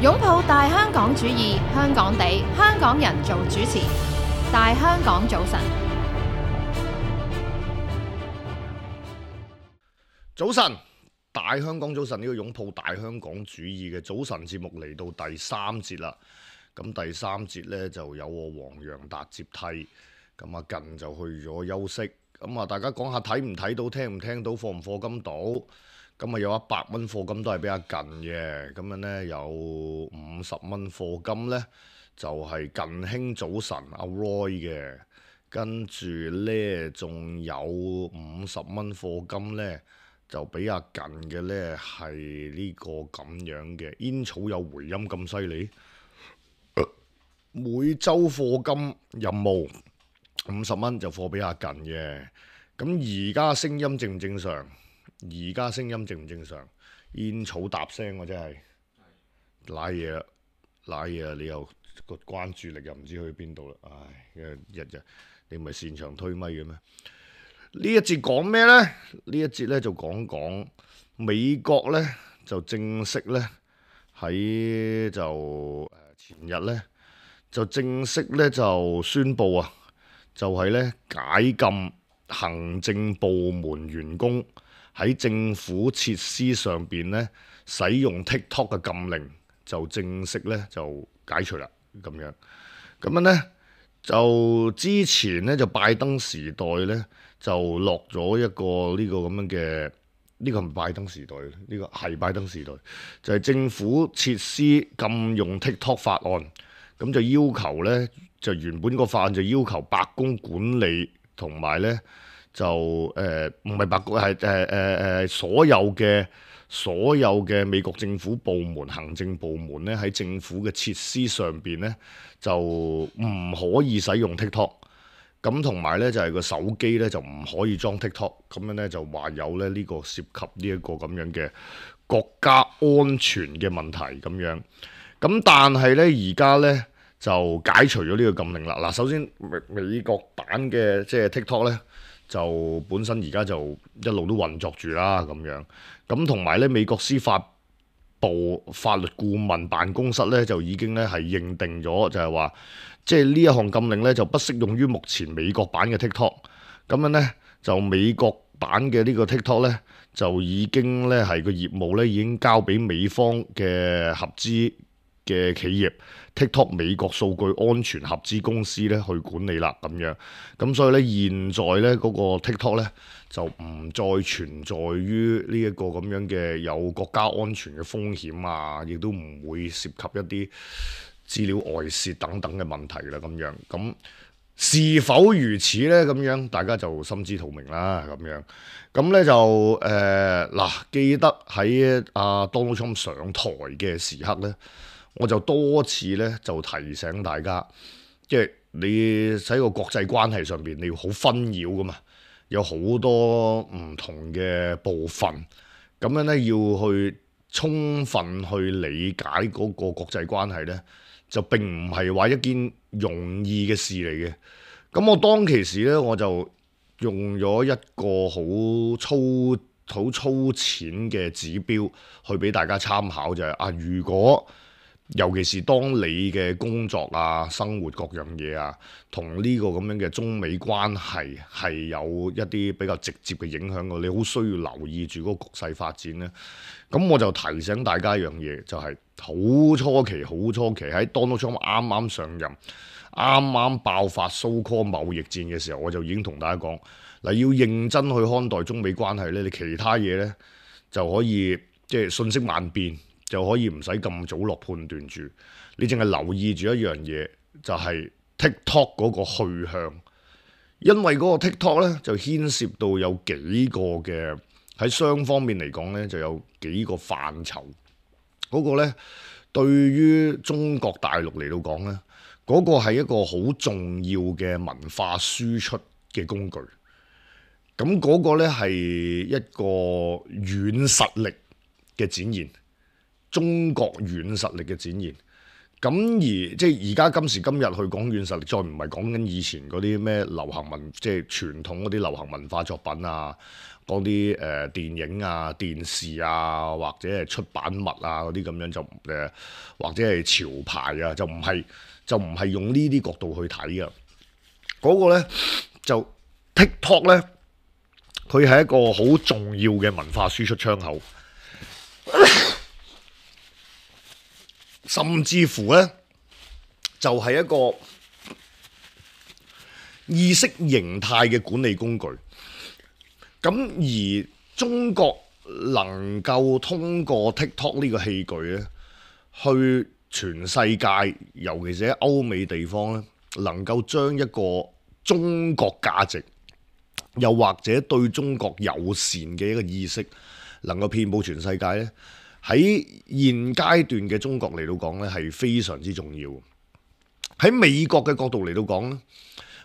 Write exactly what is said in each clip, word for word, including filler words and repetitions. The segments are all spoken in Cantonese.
擁抱大香港主義，香港地，香港人做主持。大香港早晨，早晨，大香港早晨，呢個擁抱大香港主義嘅早晨節目嚟到第三節啦。咁第三節呢，就有我黃洋達接替，咁啊近就去咗休息。咁啊大家講下睇唔睇到，聽唔聽到，課唔課金到？咁啊有一百蚊課金都係比較近嘅，咁樣呢，有五十蚊課金呢，就係、是、近興早晨阿 Roy 嘅，跟住呢，仲有五十蚊課金呢，就比較近嘅呢，係呢個咁樣嘅煙草有回音咁犀利，每週課金任務五十蚊就課比較近嘅。咁而家聲音正唔正常？而家聲音正唔正常？煙草搭聲喎，真係瀨嘢啦，瀨嘢啦！你又個關注力又唔知去邊度啦，唉！日日你唔係擅長推咪嘅咩？呢一節講咩呢？呢一節咧就講講美國咧就正式咧喺就前日咧就正式咧就宣布啊，就係咧解禁行政部門員工喺政府設施上邊咧使用 TikTok 嘅禁令就正式咧就解除啦，咁樣咁樣咧就之前咧就拜登時代咧就落咗一個呢個咁樣嘅，呢個係咪拜登時代？呢個係拜登時代，就係政府設施禁用 TikTok 法案，咁就要求咧就原本個法案就要求白宮管理同埋咧。就誒唔係白宮係誒誒誒所有嘅所有嘅美國政府部門行政部門咧喺政府嘅設施上邊咧就唔可以使用 TikTok， 咁同埋咧就係個手機咧就唔可以裝 TikTok， 咁樣咧就話有咧呢個涉及呢一個咁樣嘅國家安全嘅問題咁樣，咁但係咧而家咧就解除咗呢個禁令啦。嗱，首先美美國版嘅即係 TikTok 咧。就本身而家就一路都運作住啦，咁樣咁同埋咧，美國司法部法律顧問辦公室咧就已經咧係認定咗，就係話即係呢一項禁令咧就不適用於目前美國版嘅 TikTok。咁樣咧就美國版嘅呢個 TikTok 咧就已經咧係個業務咧已經交俾美方嘅合資嘅企業 TikTok 美國數據安全合資公司咧去管理啦，咁樣咁所以咧現在咧嗰個 TikTok 咧就唔再存在於呢一個咁樣嘅有國家安全嘅風險啊，亦都唔會涉及一啲資料外泄等等嘅問題啦，咁樣咁是否如此咧？咁樣大家就心知肚明啦，咁樣咁咧就誒嗱、呃，記得喺阿 Donald Trump 上台嘅時刻咧。我就多次咧就提醒大家，即係你喺個國際關係上邊，你要好紛擾噶嘛，有好多唔同嘅部分，咁樣咧要去充分去理解嗰個國際關係咧，就並唔係話一件容易嘅事嚟嘅。咁我當其時咧，我就用咗一個好粗好粗淺嘅指標去俾大家參考，就係啊，如果尤其是當你嘅工作啊、生活各樣嘢啊，同呢個咁樣嘅中美關係係有一啲比較直接嘅影響嘅，你好需要留意住嗰個局勢發展咧。咁我就提醒大家一樣嘢，就係、是、好初期、好初期喺 Donald Trump 啱啱上任、啱啱爆發 so-called 貿易戰嘅時候，我就已經同大家講嗱，要認真去看待中美關係咧，你其他嘢咧就可以即係瞬息萬變。就可以唔使咁早落判斷住，你淨係留意住一樣嘢，就係、是、TikTok 嗰個去向，因為嗰個 TikTok 咧就牽涉到有幾個嘅喺雙方面嚟講咧就有幾個範疇，嗰、那個咧對於中國大陸嚟到講咧，嗰、那個係一個好重要嘅文化輸出嘅工具，咁嗰個咧係一個軟實力嘅展現。中國軟實力嘅展現，咁而即係而家今時今日去講軟實力，再唔係講緊以前嗰啲咩流行文，即係傳統嗰啲流行文化作品啊，講啲誒電影啊、電視啊，或者係出版物啊嗰啲咁樣就誒、呃，或者係潮牌啊，就唔係就唔係用呢啲角度去睇嘅。嗰、嗰個咧就 TikTok 咧，佢係一個好重要嘅文化輸出窗口。甚至乎咧，就係、是、一個意識形態嘅管理工具。咁而中國能夠通過 TikTok 呢個器具咧，去全世界，尤其是喺歐美地方咧，能夠將一個中國價值，又或者對中國友善嘅一個意識，能夠遍佈全世界咧。喺現階段嘅中國嚟到講咧，係非常之重要。喺美國嘅角度嚟到講咧，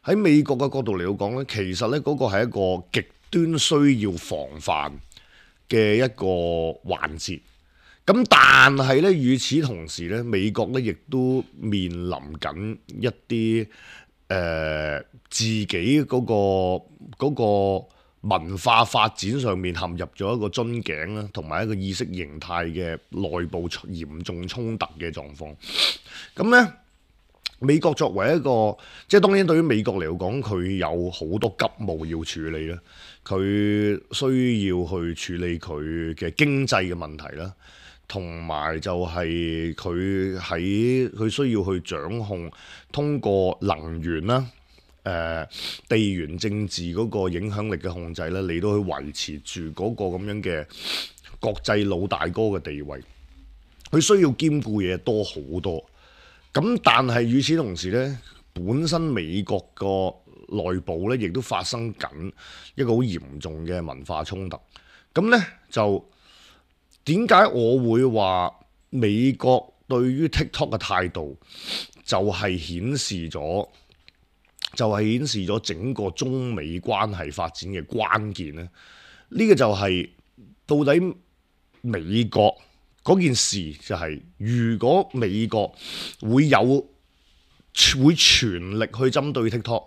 喺美國嘅角度嚟到講咧，其實咧嗰個係一個極端需要防範嘅一個環節。咁但係咧，與此同時咧，美國咧亦都面臨緊一啲誒、呃、自己嗰個嗰個。嗰個文化發展上面陷入咗一個樽頸啦，同埋一個意識形態嘅內部嚴重衝突嘅狀況。咁咧，美國作為一個，即係當然對於美國嚟講，佢有好多急務要處理啦。佢需要去處理佢嘅經濟嘅問題啦，同埋就係佢喺佢需要去掌控通過能源啦。誒、呃、地緣政治嗰個影響力嘅控制咧，嚟到去維持住嗰個咁樣嘅國際老大哥嘅地位，佢需要兼顧嘢多好多。咁但係與此同時咧，本身美國個內部咧，亦都發生緊一個好嚴重嘅文化衝突。咁咧就點解我會話美國對於 TikTok 嘅態度就係顯示咗？就係顯示咗整個中美關係發展嘅關鍵咧，呢個就係到底美國嗰件事就係，如果美國會有會全力去針對 TikTok，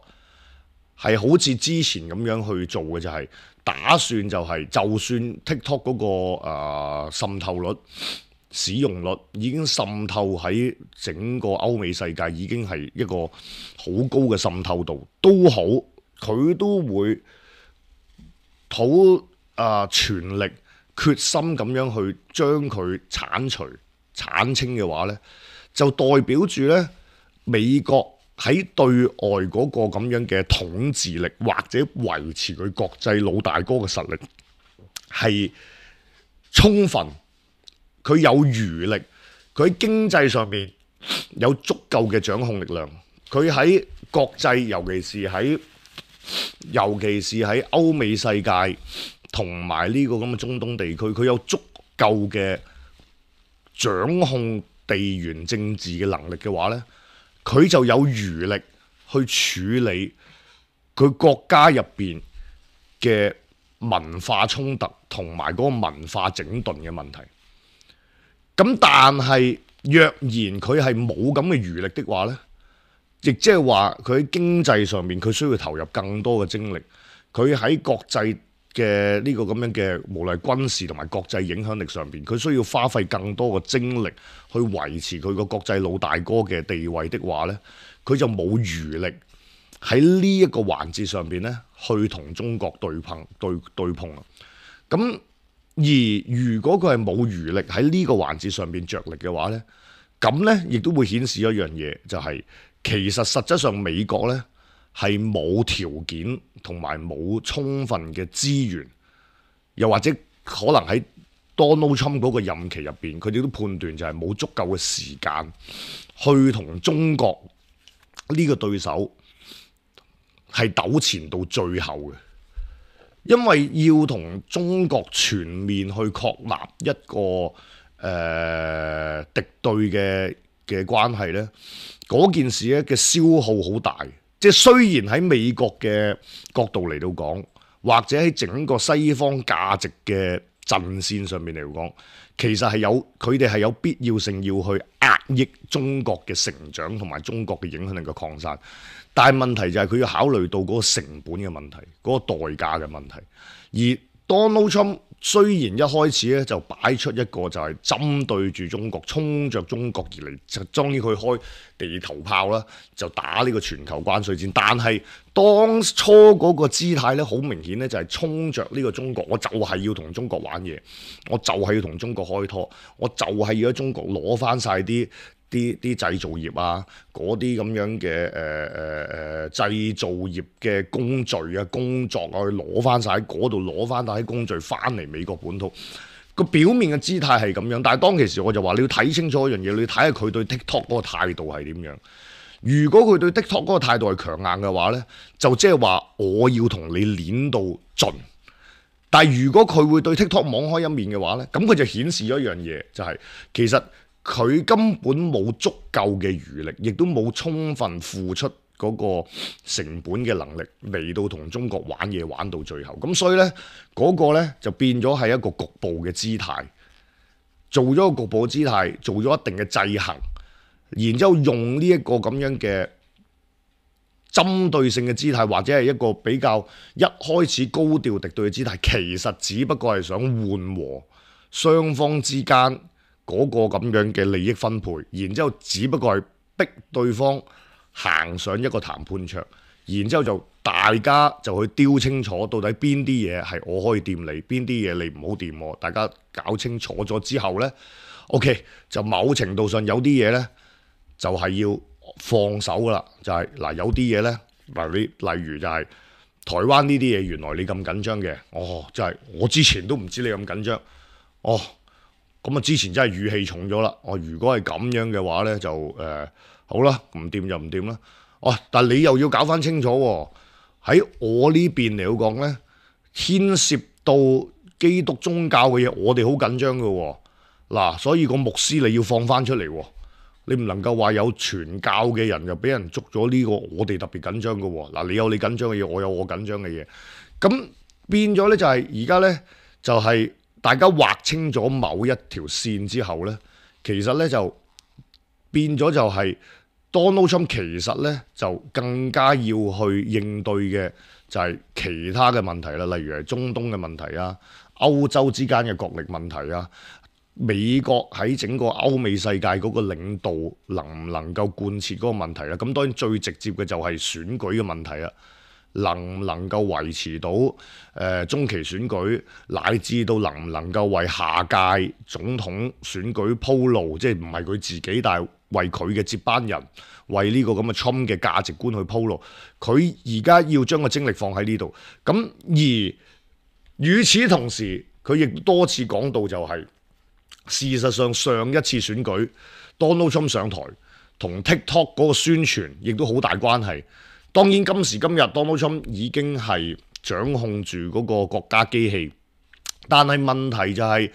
係好似之前咁樣去做嘅，就係打算就係就算 TikTok 嗰個誒滲透率、使用率已經滲透喺整個歐美世界，已經係一個好高嘅滲透度都好，佢都會好啊、呃、全力決心咁樣去將佢剷除剷清嘅話呢，就代表住呢美國喺對外嗰個咁樣嘅統治力，或者維持佢國際老大哥嘅實力係充分。佢有餘力，佢喺經濟上面有足夠嘅掌控力量。佢喺國際，尤其是喺尤其是喺歐美世界同埋呢個咁嘅中東地區，佢有足夠嘅掌控地緣政治嘅能力嘅話呢，佢就有餘力去處理佢國家入邊嘅文化衝突同埋嗰個文化整頓嘅問題。咁但係若然佢係冇咁嘅餘力的話呢，亦即係話佢喺經濟上面佢需要投入更多嘅精力，佢喺國際嘅呢個咁樣嘅無論係軍事同埋國際影響力上邊，佢需要花費更多嘅精力去維持佢個國際老大哥嘅地位的話呢，佢就冇餘力喺呢一個環節上邊呢去同中國對碰對對碰啦。咁而如果佢係冇餘力喺呢個環節上邊着力嘅話呢，咁呢亦都會顯示一樣嘢，就係、是、其實實質上美國呢係冇條件同埋冇充分嘅資源，又或者可能喺 Donald Trump 嗰個任期入邊，佢哋都判斷就係冇足夠嘅時間去同中國呢個對手係糾纏到最後嘅。因為要同中國全面去確立一個誒、呃、敵對嘅嘅關係呢，嗰件事咧嘅消耗好大。即係雖然喺美國嘅角度嚟到講，或者喺整個西方價值嘅陣線上面嚟講，其實係有佢哋係有必要性要去壓抑中國嘅成長同埋中國嘅影響力嘅擴散，但係問題就係佢要考慮到嗰個成本嘅問題，嗰、嗰個代價嘅問題。而 Donald Trump 雖然一開始咧就擺出一個就係針對住中國、衝着中國而嚟，就當然佢開地頭炮啦，就打呢個全球關稅戰。但係當初嗰個姿態咧，好明顯咧就係衝着呢個中國，我就係要同中國玩嘢，我就係要同中國開拖，我就係要喺中國攞翻晒啲啲啲製造業啊，嗰啲咁樣嘅誒誒誒製造業嘅工序啊、工作啊，去攞翻晒喺嗰度，攞翻晒啲工序翻嚟美國本土。個表面嘅姿態係咁樣，但係當其時我就話你要睇清楚一樣嘢，你要睇下佢對 TikTok 嗰個態度係點樣。如果佢對 TikTok 嗰個態度係強硬嘅話呢，就即係話我要同你攣到盡。但係如果佢會對 TikTok 網開一面嘅話呢，咁佢就顯示咗一樣嘢，就係、是、其實佢根本冇足夠嘅餘力，亦都冇充分付出嗰個成本嘅能力嚟到同中國玩嘢玩到最後。咁所以呢，嗰、嗰個呢就變咗係一個局部嘅姿態，做咗個局部嘅姿態，做咗一定嘅制衡，然之後用呢一個咁樣嘅針對性嘅姿態，或者係一個比較一開始高調敵對嘅姿態，其實只不過係想緩和雙方之間嗰個咁樣嘅利益分配，然之後只不過係逼對方行上一個談判桌，然之後就大家就去丟清楚到底邊啲嘢係我可以掂你，邊啲嘢你唔好掂我，大家搞清楚咗之後呢 OK 就某程度上有啲嘢呢，就係要放手噶啦，就係、是、嗱有啲嘢呢，嗱你例如就係台灣呢啲嘢，原來你咁緊張嘅，哦，就係、是、我之前都唔知你咁緊張，哦。咁啊！之前真係語氣重咗啦。我如果係咁樣嘅話呢，就誒、呃、好啦，唔掂就唔掂啦。哦，但係你又要搞翻清楚喎。喺我呢邊嚟講呢，牽涉到基督宗教嘅嘢，我哋好緊張嘅喎。嗱，所以個牧師你要放翻出嚟喎。你唔能夠話有傳教嘅人就俾人捉咗呢個，我哋特別緊張嘅喎。嗱，你有你緊張嘅嘢，我有我緊張嘅嘢。咁變咗呢，就係而家呢，就係、是。大家劃清咗某一條線之後呢，其實呢就變咗就係 Donald Trump 其實呢就更加要去應對嘅就係其他嘅問題啦，例如係中東嘅問題啊、歐洲之間嘅國力問題啊、美國喺整個歐美世界嗰個領導能唔能夠貫徹嗰個問題啦。咁當然最直接嘅就係選舉嘅問題啦。能唔能夠維持到誒、呃、中期選舉，乃至到能唔能夠為下屆總統選舉鋪路，即係唔係佢自己，但係為佢嘅接班人，為呢個咁嘅 Trump 嘅價值觀去鋪路。佢而家要將個精力放喺呢度。咁而與此同時，佢亦多次講到就係、是、事實上上一次選舉 Donald Trump 上台同 TikTok 嗰個宣傳亦都好大關係。當然今時今日 Donald Trump 已經係掌控住嗰個國家機器，但係問題就係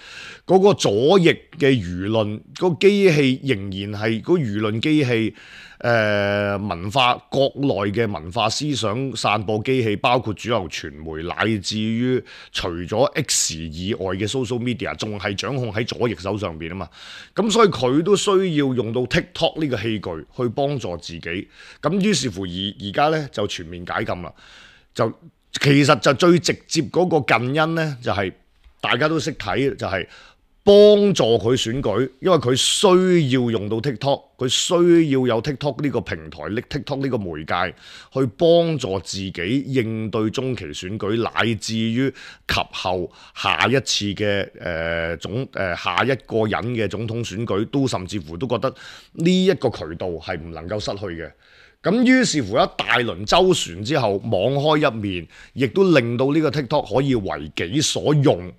嗰個左翼嘅輿論，嗰個機器仍然係嗰個輿論機器，誒文化國內嘅文化思想散播機器，包括主流傳媒，乃至於除咗 X 以外嘅 social media，仲係掌控喺左翼手上邊啊嘛。咁所以佢都需要用到 TikTok 呢個器具去幫助自己。咁於是乎而而家咧就全面解禁啦。就其實就最直接嗰個近因咧，就係、是、大家都識睇，就係、是。幫助佢選舉，因為佢需要用到 TikTok， 佢需要有 TikTok 呢個平台，拎 TikTok 呢個媒介去幫助自己應對中期選舉，乃至於及後下一次嘅誒、呃、總誒、呃、下一個人嘅總統選舉，都甚至乎都覺得呢一個渠道係唔能夠失去嘅。咁於是乎一大輪周旋之後，網開一面，亦都令到呢個 TikTok 可以為己所用。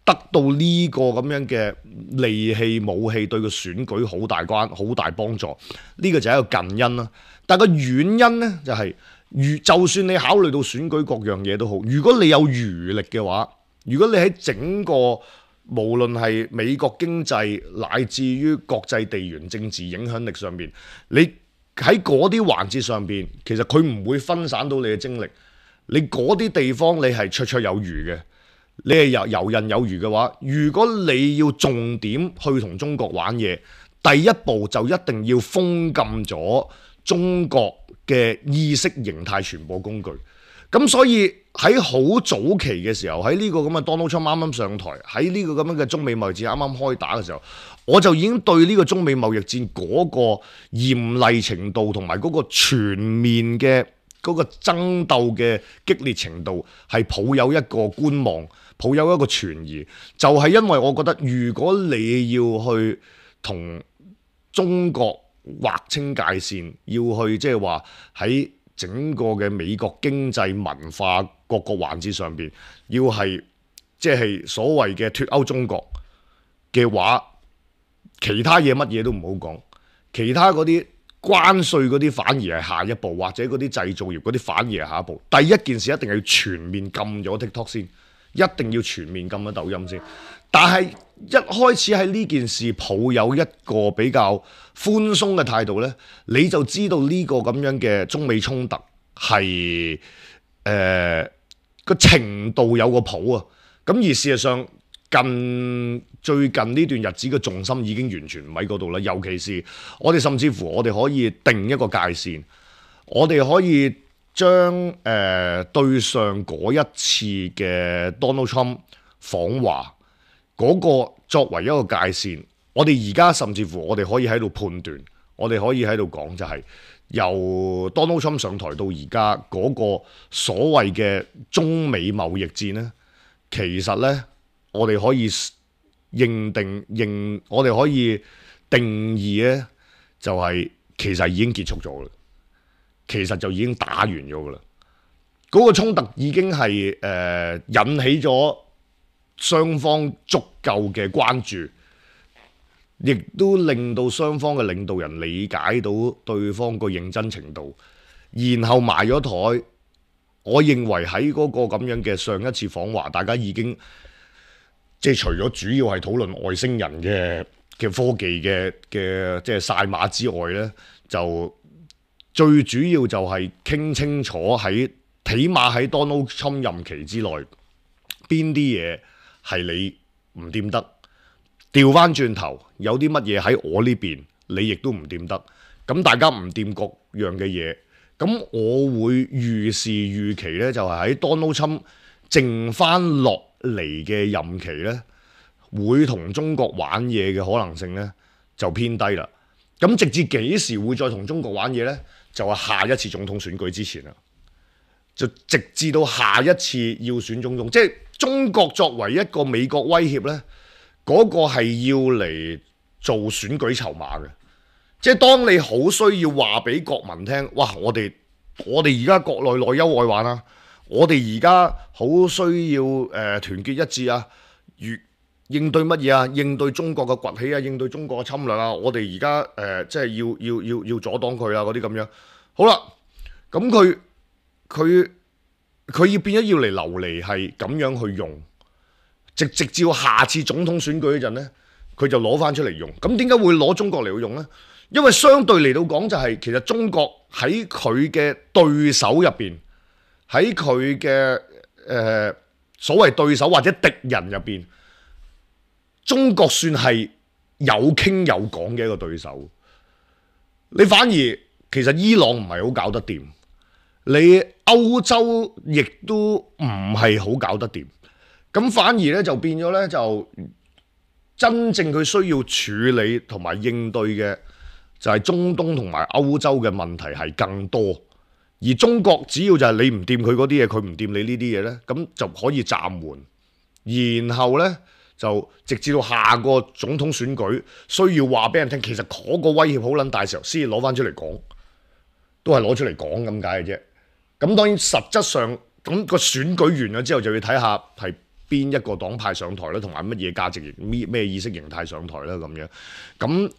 得到呢個咁樣嘅利器武器，對個選舉好大關好大幫助，呢、這個就係一個近因啦。但係個遠因呢，就係、是，如就算你考慮到選舉各樣嘢都好，如果你有餘力嘅話，如果你喺整個無論係美國經濟乃至於國際地緣政治影響力上面，你喺嗰啲環節上邊，其實佢唔會分散到你嘅精力。你嗰啲地方你係綽綽有餘嘅。你係游游刃有餘嘅話，如果你要重點去同中國玩嘢，第一步就一定要封禁咗中國嘅意識形態傳播工具。咁所以喺好早期嘅時候，喺呢個咁嘅 Donald Trump 啱啱上台，喺呢個咁樣嘅中美貿易戰啱啱開打嘅時候，我就已經對呢個中美貿易戰嗰個嚴厲程度同埋嗰個全面嘅嗰個爭鬥嘅激烈程度係抱有一個觀望，抱有一個存疑。就係因為我覺得，如果你要去同中國劃清界線，要去即係話喺整個嘅美國經濟文化各個環節上邊，要係即係所謂嘅脫歐中國嘅話，其他嘢乜嘢都唔好講，其他嗰啲關稅嗰啲反而係下一步，或者嗰啲製造業嗰啲反而係下一步。第一件事一定係要全面禁咗 TikTok 先，一定要全面禁咗抖音先。但係一開始喺呢件事抱有一個比較寬鬆嘅態度呢，你就知道呢個咁樣嘅中美衝突係誒個程度有個譜啊。咁而事實上近最近呢段日子嘅重心已經完全唔喺嗰度啦。尤其是我哋甚至乎我哋可以定一個界線，我哋可以將誒、呃、對上嗰一次嘅 Donald Trump 訪華嗰個作為一個界線，我哋而家甚至乎我哋可以喺度判斷，我哋可以喺度講就係由 Donald Trump 上台到而家嗰個所謂嘅中美貿易戰呢，其實呢，我哋可以認定認，我哋可以定義呢，就係其實已經結束咗啦，其實就已經打完咗噶啦，嗰個衝突已經係誒、呃、引起咗雙方足夠嘅關注，亦都令到雙方嘅領導人理解到對方個認真程度，然後埋咗台。我認為喺嗰個咁樣嘅上一次訪華，大家已經即係除咗主要係討論外星人嘅嘅科技嘅嘅即係晒馬之外呢，就最主要就係傾清楚喺起碼喺 Donald Trump 任期之內邊啲嘢係你唔掂得，調翻轉頭有啲乜嘢喺我呢邊，你亦都唔掂得。咁大家唔掂各樣嘅嘢，咁我會預示預期呢，就係喺 Donald Trump 剩翻落嚟嘅任期呢，會同中國玩嘢嘅可能性呢就偏低啦。咁直至幾時會再同中國玩嘢呢？就係下一次總統選舉之前啦，就直至到下一次要選總統，即係中國作為一個美國威脅呢，嗰個係要嚟做選舉籌碼嘅。即係當你好需要話俾國民聽，哇！我哋我哋而家國內內憂外患啊，我哋而家好需要誒、呃、團結一致啊，如應對乜嘢啊？應對中國嘅崛起啊，應對中國嘅侵略啊，我哋而家誒即係要要要要阻擋佢啊，嗰啲咁樣。好啦，咁佢佢佢要變咗要嚟流離係咁樣去用，直直至下次總統選舉嗰陣咧，佢就攞翻出嚟用。咁點解會攞中國嚟去用咧？因為相對嚟到講就係、是、其實中國喺佢嘅對手入邊，喺佢嘅誒所謂對手或者敵人入邊，中國算係有傾有講嘅一個對手。你反而其實伊朗唔係好搞得掂，你歐洲亦都唔係好搞得掂，咁反而咧就變咗咧就真正佢需要處理同埋應對嘅就係中東同埋歐洲嘅問題係更多，而中國只要就係你唔掂佢嗰啲嘢，佢唔掂你呢啲嘢咧，咁就可以暫緩，然後咧就直至到下個總統選舉需要話俾人聽，其實嗰個威脅好撚大時候，先至攞翻出嚟講，都係攞出嚟講咁解嘅啫。咁當然實質上咁個選舉完咗之後，就要睇下係邊一個黨派上台啦，同埋乜嘢價值咩意識形態上台啦咁樣。咁誒、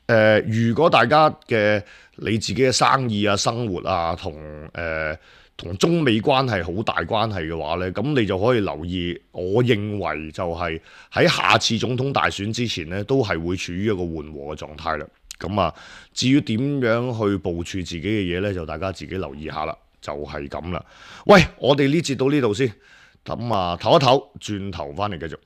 呃，如果大家嘅你自己嘅生意啊、生活啊，同誒同中美關係好大關係嘅話咧，咁你就可以留意。我認為就係喺下次總統大選之前咧，都係會處於一個緩和嘅狀態啦。咁啊，至於點樣去部署自己嘅嘢咧，就大家自己留意下啦。就係咁啦。喂，我哋呢節到呢度先。咁啊，唞一唞，轉頭翻嚟繼續。